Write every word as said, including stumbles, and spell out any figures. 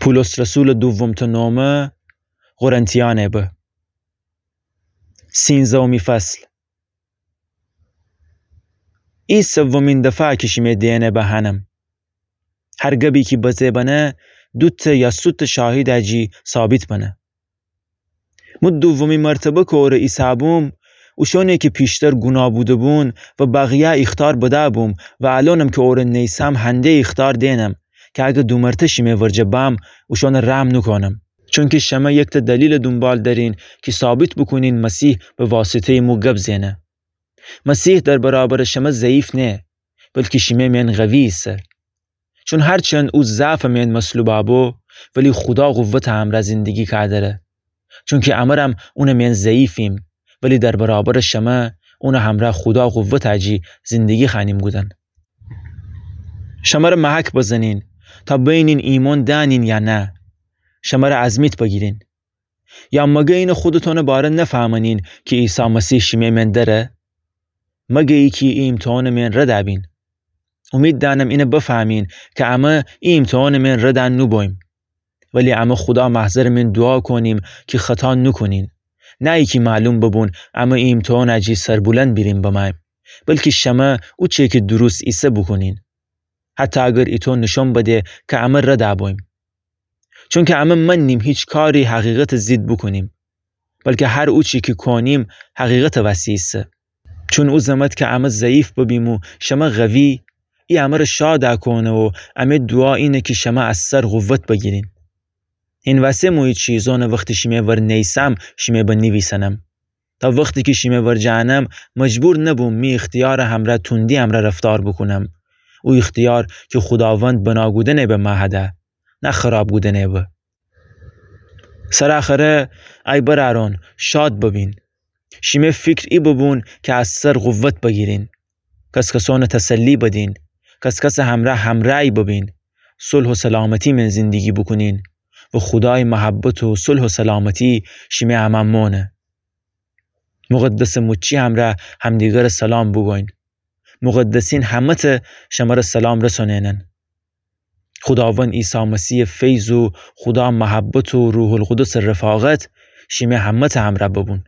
پولس رسولٚ دومٚ نامه قرنتیأنٚ به. سینزدهمی فصل. ای سومی دفعه کی شیمه دئنٚ به هنم. هر گبی کی بزه بنه، دوتأ یا سوتأ شاهیدٚ جی ثابت بنه. مو دومی مرتبه کی اوره ایسه‌بوم، اوشأنی کی پیشتر گوناه بوده‌بون و بقیه ایختار بده‌بوم و الأنم کی اوره نیسم هنده ایختار دئنم کی اگر دو مرتبه شیمه ورجه بم، اوشأنٚ رحم نوکونم. چونکی شمه یکتأ دلیلٚ دونبال دأرین کی ثابت بوکونین مسیح به واسطه‌یٚ مو گب زئنه. مسیح در برابرٚ شمه ضعیف نیه، بلکی شیمه مئن قوی ایسه. چون هرچند او ضعفٚ مئن مصلوبَ بو، ولی خودا قوتٚ همرأ زندگی کودره. چونکی امرم اونٚ مئن ضعیفیم، ولی در برابرٚ شمه اونٚ همرأ خودا قوتٚ جی زندگی خوأنیم کودن. شمره محک بزنین تا بینین ایمأن دأنین یا نه. شمره ازمیت بگیرین. یا مگه اینه خودتأنٚ باره نفهمنین کی عیسی مسیح شیمه مئن دره؟ مگه ای کی ای امتحانٚ مئن ردَ بین؟ اومید دأنم اینه بفهمین کی امه ای امتحانٚ مئن ردَ نوبوییم. ولی امه خودا محضرٚ مئن دوعا کونیم کی خطا نوکونین. نه ای کی معلوم ببون امه ای امتحانٚ جی سربلند بیریم بمأییم، بلکی شمه اوچه کی درست ایسه بوکونین. حتی اگر ایتو نشأن بده کی امه ردَ بوییم. چونکی امه مننیم هیچ کاری حقیقتٚ ضد بوکونیم، بلکی هر اوچی کی کونیم حقیقتٚ وسی ایسه. چون او زمت کی امه ضعیف ببیم و شمه قوی، ای امره شادَ کونه و امه دوعا اینه کی شمه از سر قوت بگیرین. هین وسه مو ای چیزأنٚ وختی شیمه ور نیسم شیمه به نیویسنم. تا وختی کی شیمه ورجه انم مجبور نبوم می اختیارٚ همرأ توندی امرأ رفتار بوکونم. او اختیار کی خوداوند بنا کودنٚ به مأ هده، نه خراب کودنٚ به. سرٚ آخره ای برأرأن، شاد ببین. شیمه فکر ای ببون کی از سر قوت بگیرین. کس‌کسأنٚ تسلی بدین. کس‌کسٚ همرأ همرأی ببین. صلح و سلامتی مئن زندگی بوکونین و خودایٚ محبت و صلح و سلامتی شیمه امأن مانه. مقدسٚ موچی همرأ همدیگره سلام بوگوین. مقدسین همه‌تأ شمره سلام رسونینن. خوداوند عیسی مسیحٚ فیض و خودا محبت و روح‌القدسٚ رفاقت شیمه همه‌تأ همرأ ببون.